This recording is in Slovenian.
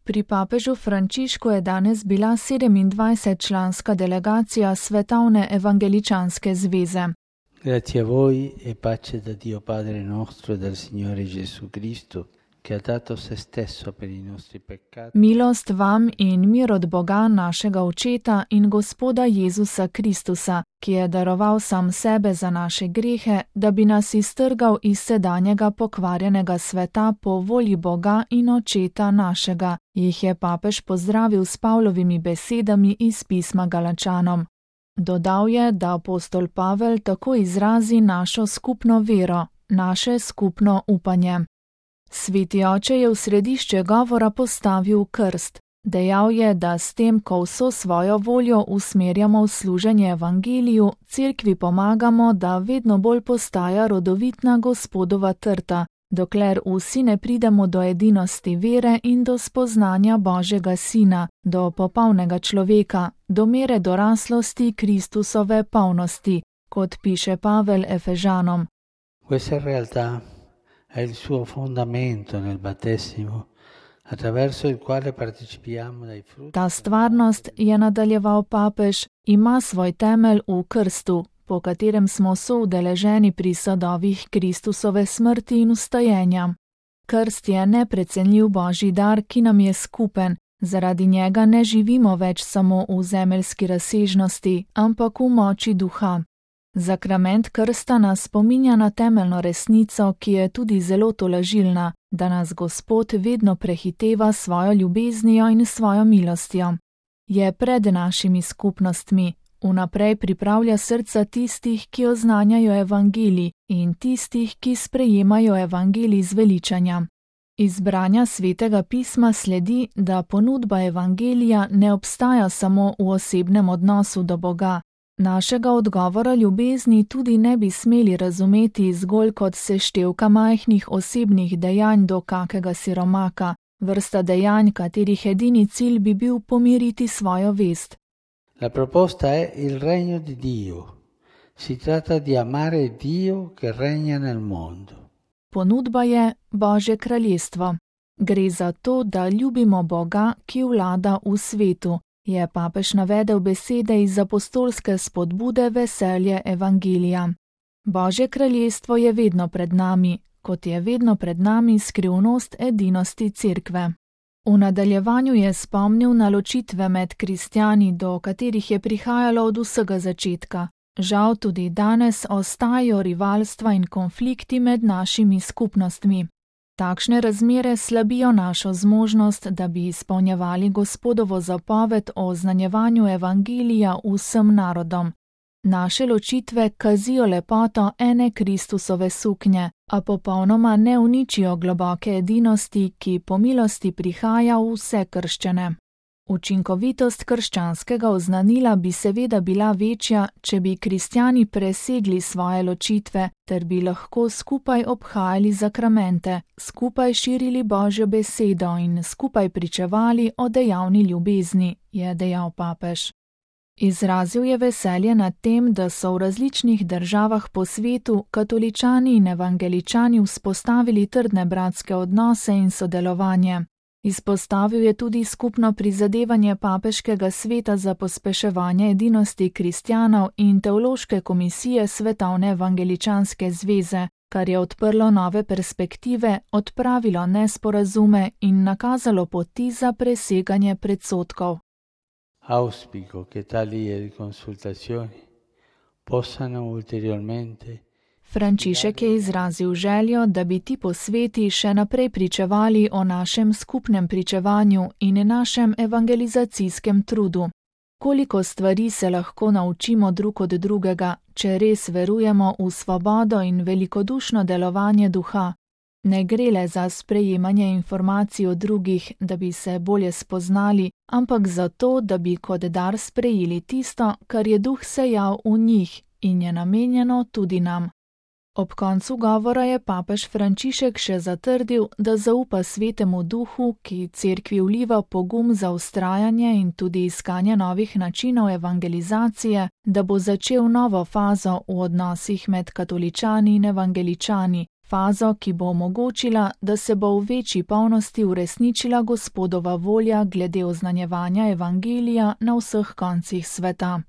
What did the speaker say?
Pri papežu Frančišku je danes bila 27-članska delegacija Svetovne evangeličanske zveze. Grazie a voi e pace da Dio Padre nostro e dal Signore Gesù Cristo, che ha dato se stesso per i nostri peccati. Milost vam in mir od Boga našega Očeta in Gospoda Jezusa Kristusa, ki je daroval sam sebe za naše grehe, da bi nas iztrgal iz sedanjega pokvarjenega sveta po volji Boga in Očeta našega, jih je papež pozdravil s Pavlovimi besedami iz pisma Galačanom. Dodal je, da apostol Pavel tako izrazi našo skupno vero, naše skupno upanje. Sveti oče je v središče govora postavil krst. Dejal je, da s tem, ko vso svojo voljo usmerjamo v služenje evangeliju, cerkvi pomagamo, da vedno bolj postaja rodovitna Gospodova trta, dokler vsi ne pridemo do edinosti vere in do spoznanja Božjega Sina, do popolnega človeka, do mere doraslosti Kristusove polnosti, kot piše Pavel Efežanom. Questa realtà è il suo fondamento nel battesimo, attraverso il quale partecipiamo dai frutti. Ta stvarnost, je nadaljeval papež, ima svoj temelj v krstu, po katerem smo soudeleženi pri sadovih Kristusove smrti in vstajenja. Krst je neprecenljiv Božji dar, ki nam je skupen, zaradi njega ne živimo več samo v zemeljski razsežnosti, ampak v moči duha. Zakrament krsta nas spominja na temeljno resnico, ki je tudi zelo tolažilna, da nas Gospod vedno prehiteva svojo ljubeznijo in svojo milostjo. Je pred našimi skupnostmi, vnaprej pripravlja srca tistih, ki oznanjajo evangelij in tistih, ki sprejemajo evangelij z veličanja. Iz branja Svetega pisma sledi, da ponudba evangelija ne obstaja samo v osebnem odnosu do Boga. Našega odgovora ljubezni tudi ne bi smeli razumeti zgolj kot seštevka majhnih osebnih dejanj do kakega siromaka, vrsta dejanj, katerih edini cilj bi bil pomiriti svojo vest. La proposta è il regno di Dio. Si tratta di amare Dio che regna nel mondo. Ponudba je Božje kraljestvo. Gre za to, da ljubimo Boga, ki vlada v svetu, je papež navedel besede iz apostolske spodbude veselje evangelija. Božje kraljestvo je vedno pred nami, kot je vedno pred nami skrivnost edinosti cerkve. V nadaljevanju je spomnil na ločitve med kristjani, do katerih je prihajalo od vsega začetka. Žal tudi danes ostajajo rivalstva in konflikti med našimi skupnostmi. Takšne razmere slabijo našo zmožnost, da bi izpolnjevali Gospodovo zapoved o oznanjevanju evangelija vsem narodom. Naše ločitve kazijo lepoto ene Kristusove suknje, a popolnoma ne uničijo globoke edinosti, ki po milosti prihaja v vse krščane. Učinkovitost krščanskega oznanila bi seveda bila večja, če bi kristjani presegli svoje ločitve, ter bi lahko skupaj obhajali zakramente, skupaj širili Božjo besedo in skupaj pričevali o dejavni ljubezni, je dejal papež. Izrazil je veselje nad tem, da so v različnih državah po svetu katoličani in evangeličani vzpostavili trdne bratske odnose in sodelovanje. Izpostavil je tudi skupno prizadevanje papeškega sveta za pospeševanje edinosti kristjanov in teološke komisije Svetovne evangeličanske zveze, kar je odprlo nove perspektive, odpravilo nesporazume in nakazalo poti za preseganje predsodkov. Auspico che tali consultazioni possano ulteriormente. Frančišek je izrazil željo, da bi ti posveti še naprej pričevali o našem skupnem pričevanju in našem evangelizacijskem trudu. Koliko stvari se lahko naučimo drug od drugega, če res verujemo v svobodo in velikodušno delovanje duha. Ne gre le za sprejemanje informacij od drugih, da bi se bolje spoznali, ampak za to, da bi kot dar sprejeli tisto, kar je duh sejal v njih in je namenjeno tudi nam. Ob koncu govora je papež Frančišek še zatrdil, da zaupa Svetemu Duhu, ki cerkvi vliva pogum za vztrajanje in tudi iskanje novih načinov evangelizacije, da bo začel novo fazo v odnosih med katoličani in evangeličani, fazo, ki bo omogočila, da se bo v večji polnosti uresničila Gospodova volja glede oznanjevanja evangelija na vseh koncih sveta.